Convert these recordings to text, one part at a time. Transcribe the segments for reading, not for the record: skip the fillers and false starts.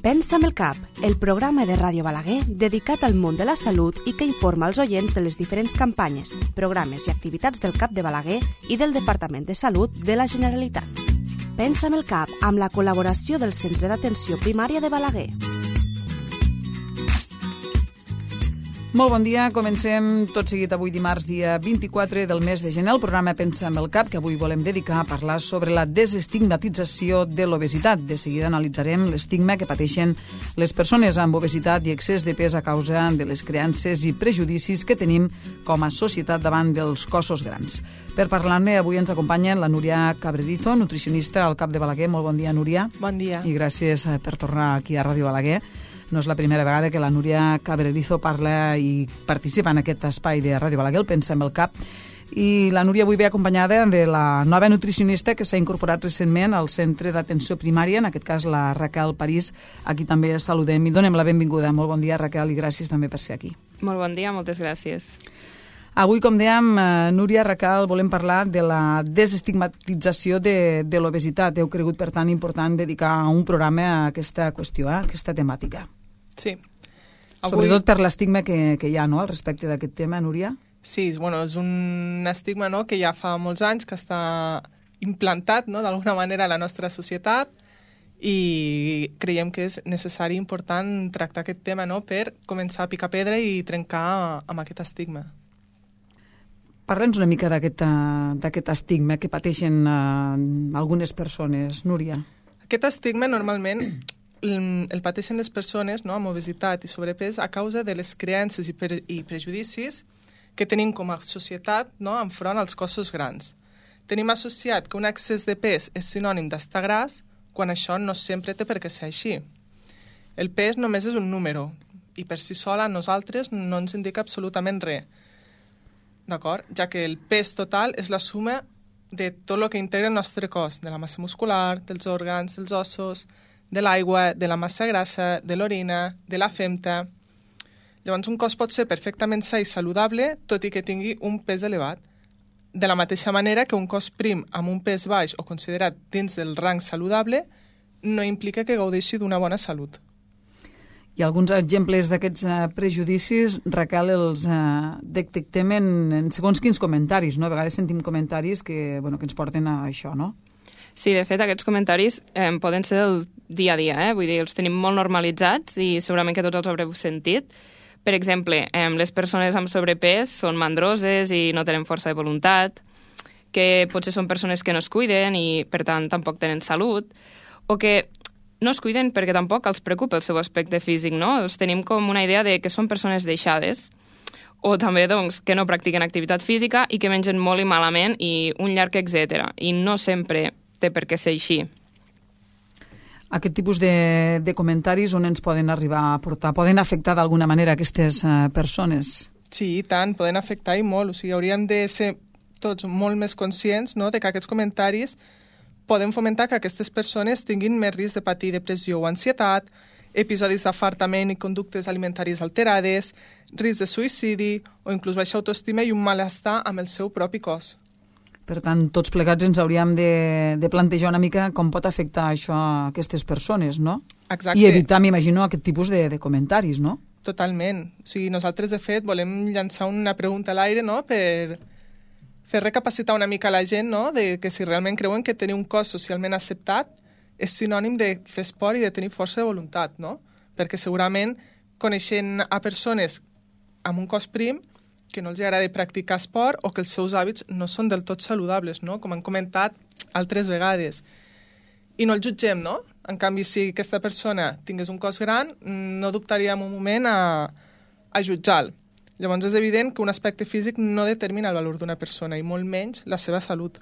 Pensa amb el cap, el programa de Ràdio Balaguer dedicat al món de la salut i que informa els oients de les diferents campanyes, programes i activitats del CAP de Balaguer i del Departament de Salut de la Generalitat. Pensa amb el cap, amb la col·laboració del Centre d'Atenció Primària de Balaguer. Molt bon dia, comencem tot seguit avui dimarts, dia 24 del mes de gener, el programa Pensa amb el cap, que avui volem dedicar a parlar sobre la desestigmatització de l'obesitat. De seguida analitzarem l'estigma que pateixen les persones amb obesitat i excés de pes a causa de les creences i prejudicis que tenim com a societat davant dels cossos grans. Per parlar-ne, avui ens acompanya la Núria Cabrerizo, nutricionista al CAP de Balaguer. Molt bon dia, Núria. Bon dia. I gràcies per tornar aquí a Ràdio Balaguer. No és la primera vegada que la Núria Cabrerizo parla i participa en aquest espai de Ràdio Balaguer, el Pensa amb el cap. I la Núria avui ve acompanyada de la nova nutricionista que s'ha incorporat recentment al Centre d'Atenció Primària, en aquest cas la Raquel París. Aquí també saludem i donem la benvinguda. Molt bon dia, Raquel, i gràcies també per ser aquí. Molt bon dia, moltes gràcies. Avui, com dèiem, Núria, Raquel, volem parlar de la desestigmatització de l'obesitat. Heu cregut, per tant, important dedicar un programa a aquesta qüestió, a aquesta temàtica. Sí. Sobretot per l'estigma que hi ha, no?, al respecte d'aquest tema, Núria? Sí, bueno, és un estigma, no?, que ja fa molts anys que està implantat, no?, d'alguna manera a la nostra societat, i creiem que és necessari i important tractar aquest tema, no?, per començar a picar pedra i trencar amb aquest estigma. Parla'ns una mica d'aquest estigma que pateixen algunes persones, Núria. Aquest estigma normalment el pateixen les persones, no?, amb obesitat i sobrepès a causa de les creences i prejudicis que tenim com a societat, no?, enfront als cossos grans. Tenim associat que un excés de pes és sinònim d'estar gras, quan això no sempre té per què ser així. El pes només és un número i per si sola a nosaltres no ens indica absolutament res. D'acord? Ja que el pes total és la suma de tot el que integra el nostre cos, de la massa muscular, dels òrgans, dels ossos, de l'aigua, de la massa grassa, de l'orina, de la femta. Llavors, un cos pot ser perfectament sa i saludable, tot i que tingui un pes elevat. De la mateixa manera que un cos prim amb un pes baix o considerat dins del rang saludable no implica que gaudeixi d'una bona salut. I alguns exemples d'aquests prejudicis, Raquel, els detectem en segons quins comentaris, no? A vegades sentim comentaris que ens porten a això, no? Sí, de fet, aquests comentaris poden ser del dia a dia, vull dir, els tenim molt normalitzats i segurament que tots els haureu sentit. Per exemple, les persones amb sobrepès són mandroses i no tenen força de voluntat, que potser són persones que no es cuiden i, per tant, tampoc tenen salut, o que no es cuiden perquè tampoc els preocupa el seu aspecte físic, no? Els tenim com una idea de que són persones deixades, o també doncs, que no practiquen activitat física i que mengen molt i malament i un llarg etcètera. I no sempre té per què ser així. Aquest tipus de comentaris on ens poden arribar a portar? Poden afectar d'alguna manera aquestes persones? Sí, i tant, poden afectar i molt. O sigui, hauríem de ser tots molt més conscients, no?, de que aquests comentaris poden fomentar que aquestes persones tinguin més risc de patir depressió o ansietat, episodis d'afartament i conductes alimentaris alterades, risc de suïcidi o inclús baixa autoestima i un malestar amb el seu propi cos. Per tant, tots plegats ens hauríem de plantejar una mica com pot afectar això a aquestes persones, no? Exacte. I evitar, m'imagino, aquest tipus de comentaris, no? Totalment. O sigui, nosaltres, de fet, volem llançar una pregunta a l'aire, no?, per fer recapacitar una mica la gent, no?, de que si realment creuen que tenir un cos socialment acceptat és sinònim de fer esport i de tenir força de voluntat, no? Perquè segurament coneixent a persones amb un cos prim que no els agrada practicar esport o que els seus hàbits no són del tot saludables, no?, com han comentat altres vegades. I no el jutgem, no? En canvi, si aquesta persona tingués un cos gran, no dubtaríem un moment a jutjar-lo. Llavors és evident que un aspecte físic no determina el valor d'una persona i molt menys la seva salut.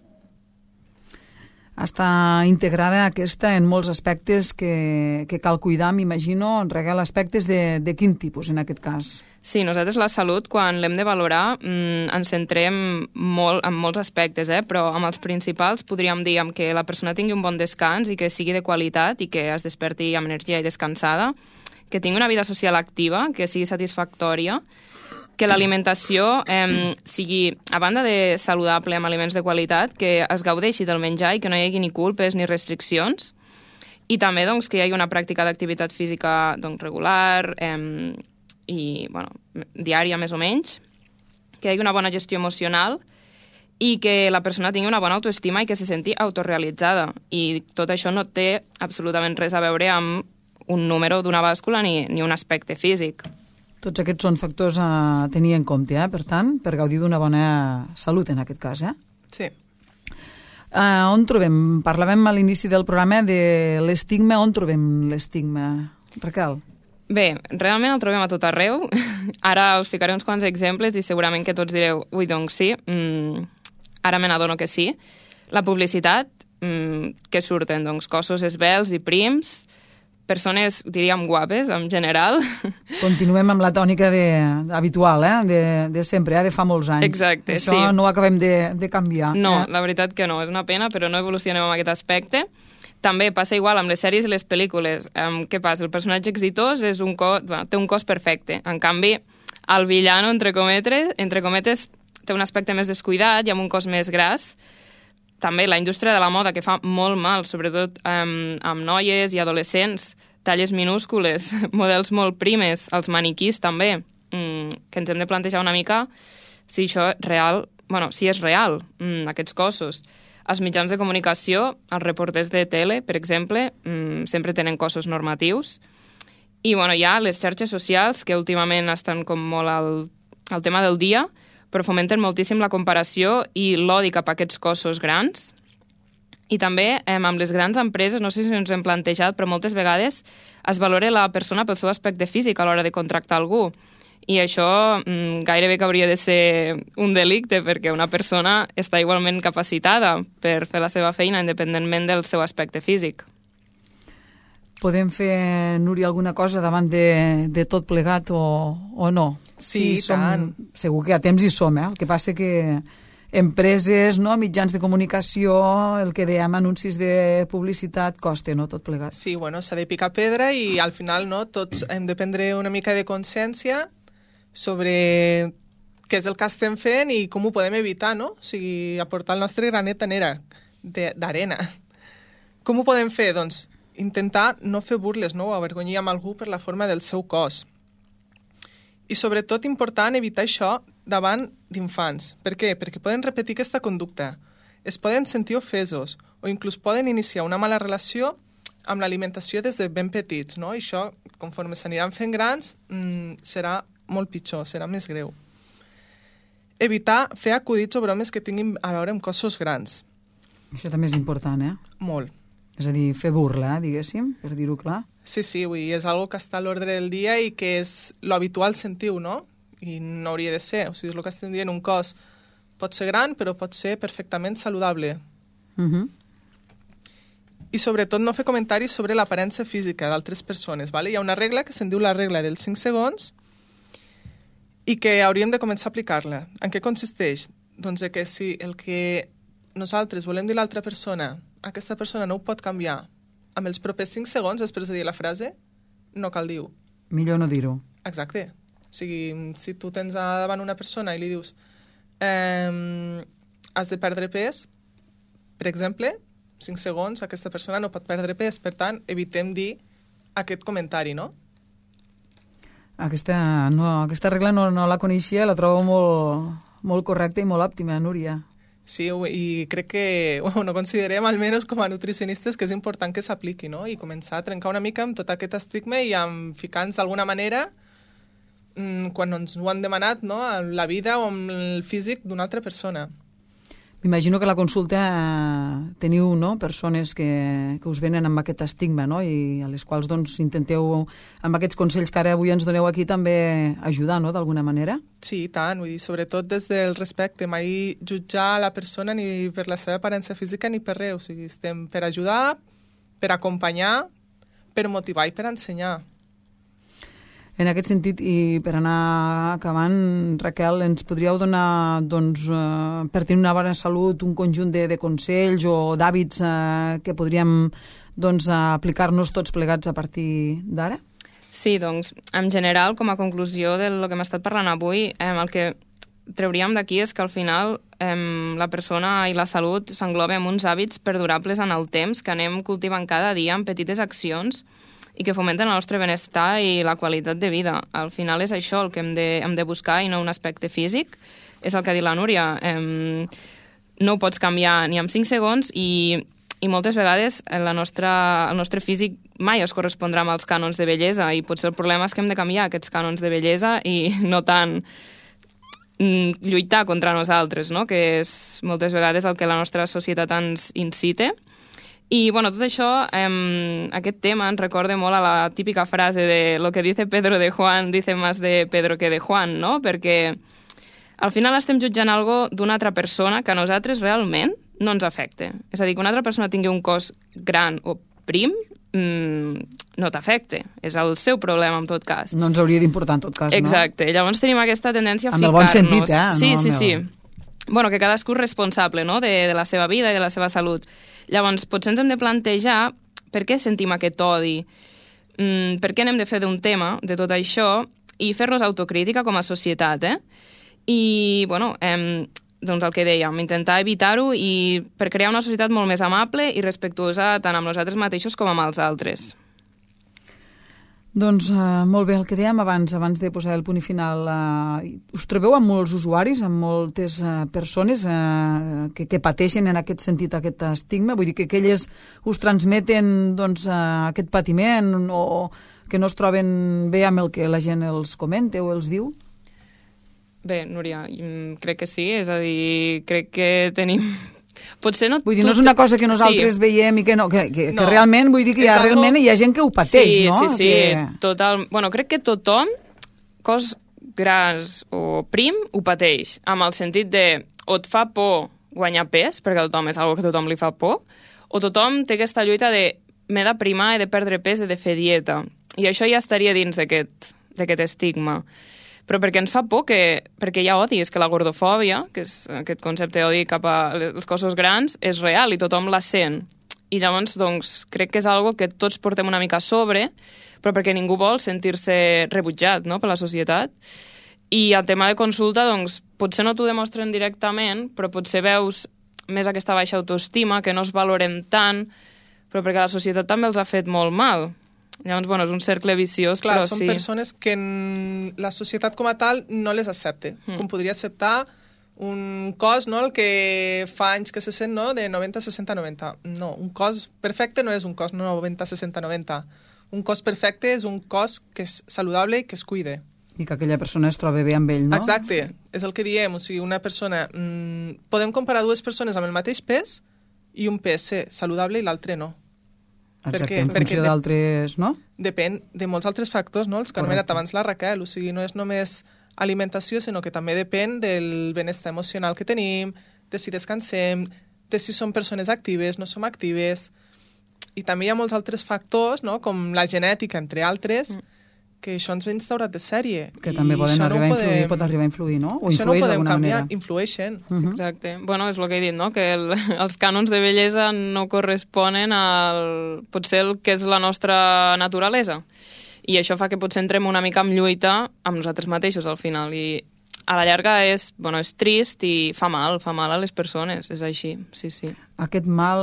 Està integrada aquesta en molts aspectes que cal cuidar, m'imagino, Raquel, aspectes de quin tipus en aquest cas? Sí, nosaltres la salut, quan l'hem de valorar, ens centrem molt en molts aspectes, però amb els principals podríem dir que la persona tingui un bon descans i que sigui de qualitat i que es desperti amb energia i descansada, que tingui una vida social activa, que sigui satisfactòria, que l'alimentació sigui, a banda de saludable amb aliments de qualitat, que es gaudeixi del menjar i que no hi hagi ni culpes ni restriccions, I també doncs, que hi hagi una pràctica d'activitat física doncs, regular i diària més o menys, que hi hagi una bona gestió emocional i que la persona tingui una bona autoestima i que se senti autorrealitzada. I tot això no té absolutament res a veure amb un número d'una bàscula ni un aspecte físic. Tots aquests són factors a tenir en compte, per tant, per gaudir d'una bona salut en aquest cas, Sí. On trobem? Parlàvem a l'inici del programa de l'estigma. On trobem l'estigma, Raquel? Bé, realment el trobem a tot arreu. Ara us ficaré uns quants exemples i segurament que tots direu, ui, doncs sí, ara me n'adono que sí. La publicitat, que surten doncs, cossos esvelts i prims, persones, diríem, guapes, en general. Continuem amb la tònica habitual, de sempre, de fa molts anys. Exacte, Això sí. no ho acabem de canviar. No, la veritat que no, és una pena, però no evolucionem en aquest aspecte. També passa igual amb les sèries i les pel·lícules. Què passa? El personatge exitós és té un cos perfecte. En canvi, el villano, entre cometes, té un aspecte més descuidat i amb un cos més gras. També la indústria de la moda, que fa molt mal, sobretot amb noies i adolescents, talles minúscules, models molt primes, els maniquís també, que ens hem de plantejar una mica si això és real, si és real, aquests cossos. Els mitjans de comunicació, els reporters de tele, per exemple, sempre tenen cossos normatius. I hi ha les xarxes socials, que últimament estan com molt al tema del dia, però fomenten moltíssim la comparació i l'odi cap a aquests cossos grans. I també amb les grans empreses, no sé si ens hem plantejat, però moltes vegades es valora la persona pel seu aspecte físic a l'hora de contractar algú. I això gairebé que hauria de ser un delicte, perquè una persona està igualment capacitada per fer la seva feina independentment del seu aspecte físic. Podem fer, Núria, alguna cosa davant de tot plegat o no? Sí, tant. Segur que a temps hi som, El que passa que empreses, mitjans de comunicació, el que dèiem, anuncis de publicitat, costa, no?, tot plegat. Sí, s'ha de picar pedra i al final tots hem de prendre una mica de consciència sobre què és el que estem fent i com ho podem evitar, no? O sigui, aportar el nostre granet d'arena. Com ho podem fer? Doncs intentar no fer burles, no? O avergonyir amb algú per la forma del seu cos. I sobretot important evitar això davant d'infants. Per què? Perquè poden repetir aquesta conducta. Es poden sentir ofesos o inclús poden iniciar una mala relació amb l'alimentació des de ben petits, no? I això, conforme s'aniran fent grans, serà molt pitjor, serà més greu. Evitar fer acudits o bromes que tinguin a veure amb cossos grans. Això també és important, Molt. És a dir, fer burla, diguéssim, per dir-ho clar. Sí, és algo que està a l'ordre del dia i que és l'habitual sentiu, no? I no hauria de ser. O sigui, és el que estem dient, un cos pot ser gran, però pot ser perfectament saludable. I sobretot no fer comentaris sobre l'aparença física d'altres persones, ¿vale? Hi ha una regla que se'n diu la regla dels 5 segons i que hauríem de començar a aplicar-la. En què consisteix? Doncs que si el que nosaltres volem dir a l'altra persona, aquesta persona no ho pot canviar amb els propers 5 segons després de dir la frase, no cal dir-ho. Millor no dir-ho. Exacte. O sigui, si tu tens davant una persona i li dius has de perdre pes, per exemple, 5 segons, aquesta persona no pot perdre pes, per tant, evitem dir aquest comentari, no? Aquesta regla no la coneixia, la trobo molt correcta i molt òptima, Núria. Sí, i crec que considerem, almenys com a nutricionistes, que és important que s'apliqui, no? I començar a trencar una mica amb tot aquest estigma i amb ficar-nos d'alguna manera quan ens ho han demanat, no?, en la vida o en el físic d'una altra persona. M'imagino que a la consulta teniu, no?, persones que us venen amb aquest estigma, no?, i a les quals doncs intenteu, amb aquests consells que ara avui ens doneu aquí, també ajudar, no?, d'alguna manera. Sí, i tant, vull dir, sobretot des del respecte, mai jutjar la persona ni per la seva aparença física ni per res, o sigui, estem per ajudar, per acompanyar, per motivar i per ensenyar. En aquest sentit, i per anar acabant, Raquel, ens podríeu donar, doncs, per tenir una bona salut, un conjunt de consells o d'hàbits que podríem, doncs, aplicar-nos tots plegats a partir d'ara? Sí, doncs, en general, com a conclusió del que hem estat parlant avui, el que trauríem d'aquí és que al final la persona i la salut s'engloba en uns hàbits perdurables en el temps que anem cultivant cada dia en petites accions i que fomenten el nostre benestar i la qualitat de vida. Al final és això el que hem de buscar i no un aspecte físic. És el que ha dit la Núria. No ho pots canviar ni en 5 segons i moltes vegades el nostre físic mai es correspondrà amb els cànons de bellesa i potser el problema és que hem de canviar aquests cànons de bellesa i no tant lluitar contra nosaltres, no? Que és moltes vegades el que la nostra societat ens incita. I, bueno, tot això, aquest tema ens recorda molt a la típica frase de lo que dice Pedro de Juan dice más de Pedro que de Juan, no? Perquè al final estem jutjant algo d'una altra persona que a nosaltres realment no ens afecta. És a dir, que una altra persona tingui un cos gran o prim no t'afecta. És el seu problema, en tot cas. No ens hauria d'importar, en tot cas, no? Exacte. Llavors tenim aquesta tendència a ficar-nos... Amb el bon sentit, Sí, no, sí. Bueno, que cadascú és responsable, no?, de la seva vida i de la seva salut. Llavors, potser ens hem de plantejar per què sentim aquest odi, per què n'hem de fer d'un tema de tot això i fer-nos autocrítica com a societat, I, bueno, doncs el que dèiem, intentar evitar-ho i per crear una societat molt més amable i respectuosa tant amb nosaltres mateixos com amb els altres. Doncs molt bé, el que dèiem abans de posar el punt final. Us trobeu amb molts usuaris, amb moltes persones que pateixen en aquest sentit aquest estigma? Vull dir que elles us transmeten doncs, aquest patiment o que no es troben bé amb el que la gent els comenta o els diu? Bé, Núria, crec que sí, és a dir, crec que tenim... Potser no... Vull dir, no és una cosa que nosaltres veiem i que no, que realment, vull dir que realment hi ha gent que ho pateix, no? Sí, total. Bueno, crec que tothom, cos gras o prim, ho pateix, amb el sentit de o et fa por guanyar pes, perquè a tothom és una cosa que a tothom li fa por, o tothom té aquesta lluita de m'he de primar, he de perdre pes, he de fer dieta. I això ja estaria dins d'aquest estigma. Però perquè ens fa por, perquè hi ha odi, és que la gordofòbia, que és aquest concepte d'odi cap als cossos grans, és real i tothom la sent. I llavors, doncs, crec que és algo que tots portem una mica a sobre, però perquè ningú vol sentir-se rebutjat, no?, per la societat. I el tema de consulta, doncs, potser no t'ho demostren directament, però potser veus més aquesta baixa autoestima, que no es valorem tant, però perquè la societat també els ha fet molt mal. Llavors, bueno, és un cercle viciós, clar, però són sí. Persones que la societat com a tal no les accepta, com podria acceptar un cos, no?, el que fa anys que se sent, no?, de 90, 60, 90. No, un cos perfecte no és un cos 90, 60, 90. Un cos perfecte és un cos que és saludable i que es cuida. I que aquella persona es troba bé amb ell, no? Exacte, és el que diem. O sigui, una persona... podem comparar dues persones amb el mateix pes i un pes saludable i l'altre no. Exacte, en funció d'altres, no? Depèn de molts altres factors, no?, els que ha anomenat abans la Raquel. O sigui, no és només alimentació, sinó que també depèn del benestar emocional que tenim, de si descansem, de si som persones actives, no som actives. I també hi ha molts altres factors, no?, com la genètica, entre altres, que això ens ve instaurat de sèrie. Que també poden arribar a influir, pot arribar a influir, no? O això no ho podem canviar, manera. Influeixen. Exacte. Bueno, és el que he dit, no?, que els cànons de bellesa no corresponen al potser el que és la nostra naturalesa. I això fa que potser entrem una mica en lluita amb nosaltres mateixos al final. I a la llarga és trist i fa mal a les persones, és així, sí, sí. Aquest mal,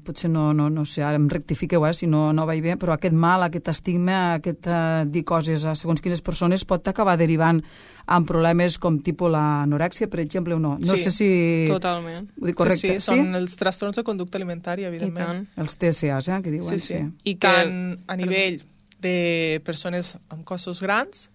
potser no sé, ara em rectifiqueu, si no vaig bé, però aquest mal, aquest estigma, aquest dir coses a segons quines persones pot acabar derivant en problemes com tipus l'anorèxia, per exemple, o no? No sé si... Totalment. Ho dic correcte? Sí, són els trastorns de conducta alimentària, evidentment. Els TCAs, que diuen, sí. I tant a nivell de persones amb cossos grans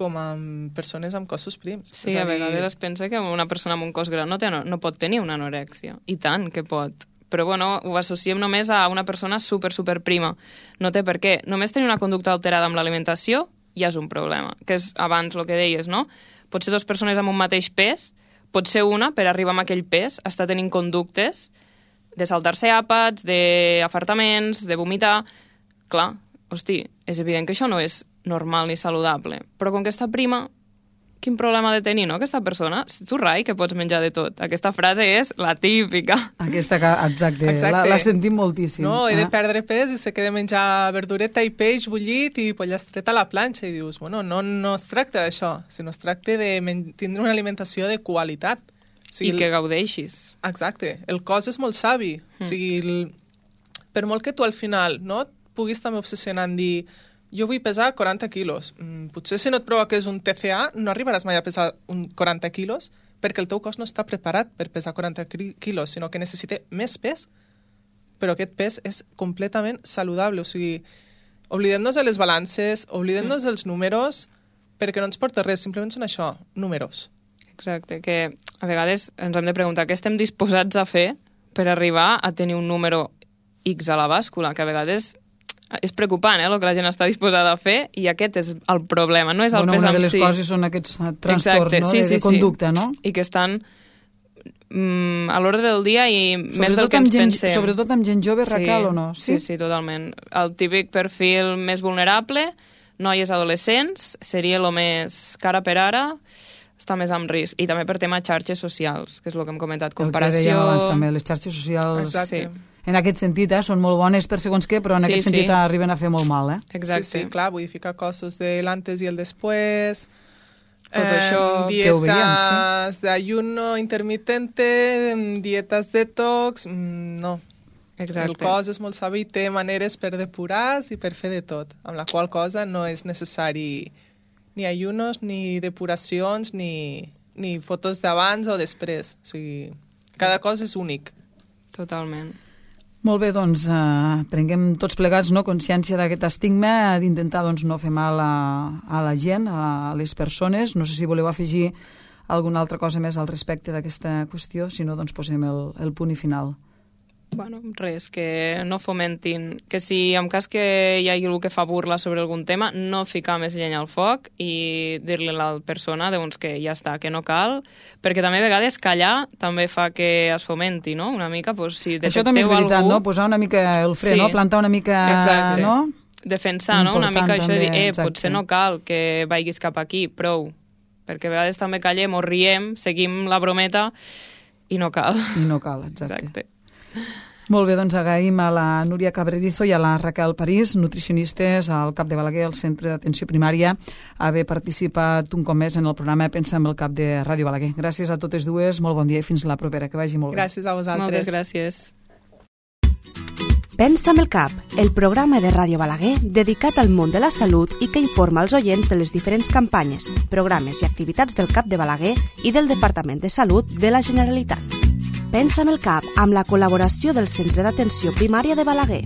com amb persones amb cossos prims. Sí, a vegades es pensa que una persona amb un cos gran no pot tenir una anorèxia. I tant que pot. Però, bueno, ho associem només a una persona super prima. No té per què. Només tenir una conducta alterada amb l'alimentació ja és un problema. Que és abans el que deies, no? Pot ser dues persones amb un mateix pes, pot ser una, per arribar a aquell pes, està tenint conductes de saltar-se àpats, d'afartaments, de vomitar... Clar, hosti, és evident que això no és normal ni saludable. Però com que està prima, quin problema ha de tenir, no, aquesta persona? Tu, rai, que pots menjar de tot. Aquesta frase és la típica. Exacte. La sentim moltíssim. No, he de perdre pes i sé que he de menjar verdureta i peix bullit i pollastre a la planxa. I dius, bueno, no es tracta d'això, sinó es tracta de tindre una alimentació de qualitat. O sigui, I que gaudeixis. Exacte. El cos és molt savi. O sigui, per molt que tu al final no puguis també obsessionar en dir jo vull pesar 40 quilos. Potser si no et provoques un TCA no arribaràs mai a pesar 40 quilos perquè el teu cos no està preparat per pesar 40 quilos, sinó que necessita més pes, però aquest pes és completament saludable. O sigui, oblidem-nos de les balances, oblidem-nos dels números, perquè no ens porta res, simplement són això, números. Exacte, que a vegades ens hem de preguntar què estem disposats a fer per arribar a tenir un número X a la bàscula, que a vegades és preocupant, el que la gent està disposada a fer, i aquest és el problema, no és el pes en si. Una de les coses són aquests trastorns de conducta, no? I que estan a l'ordre del dia i més del que ens pensem. Sobretot amb gent jove, Raquel, o no? Sí, totalment. El típic perfil més vulnerable, noies adolescents, seria el més cara per ara, està més amb risc. I també per tema xarxes socials, que és el que hem comentat, comparació... El que dèiem abans també, les xarxes socials... Exacte. En aquest sentit, són molt bones per segons què, però en aquest sentit arriben a fer molt mal, Exacte. Sí, clar, vull ficar cossos de l'antes i el després, dietas d'ayuno intermitente, dietes detox, no. Exacte. El cos és molt savi i té maneres per depurar i per fer de tot, amb la qual cosa no és necessari ni ayunos, ni depuracions, ni fotos d'abans o després. O sigui, cada cos és únic. Totalment. Molt bé, doncs prenguem tots plegats consciència d'aquest estigma, d'intentar no fer mal a la gent, a les persones. No sé si voleu afegir alguna altra cosa més al respecte d'aquesta qüestió, si no, doncs posem el punt i final. Bueno, res, que no fomentin, que si en cas que hi hagi algú que fa burla sobre algun tema, no ficar més llenya al foc i dir-li a la persona doncs, que ja està, que no cal, perquè també a vegades callar també fa que es fomenti, no? Una mica, doncs, si detecteu això també és veritat, algú... no? Posar una mica el fre, no? Plantar una mica... Exacte. No? Defensar, no? Una mica això de dir, exacte. Potser no cal que vagis cap aquí, prou. Perquè a vegades també callem o riem, seguim la brometa i no cal. I no cal, exacte. Molt bé, doncs agraïm a la Núria Cabrerizo i a la Raquel París, nutricionistes al CAP de Balaguer, al Centre d'Atenció Primària, haver participat un cop més en el programa Pensa en el CAP de Ràdio Balaguer. Gràcies a totes dues, molt bon dia i fins la propera, que vagi molt bé. Gràcies a vosaltres. Moltes gràcies. Pensa amb el CAP, el programa de Ràdio Balaguer dedicat al món de la salut i que informa els oients de les diferents campanyes, programes i activitats del CAP de Balaguer i del Departament de Salut de la Generalitat. Pensa amb el CAP, amb la col·laboració del Centre d'Atenció Primària de Balaguer.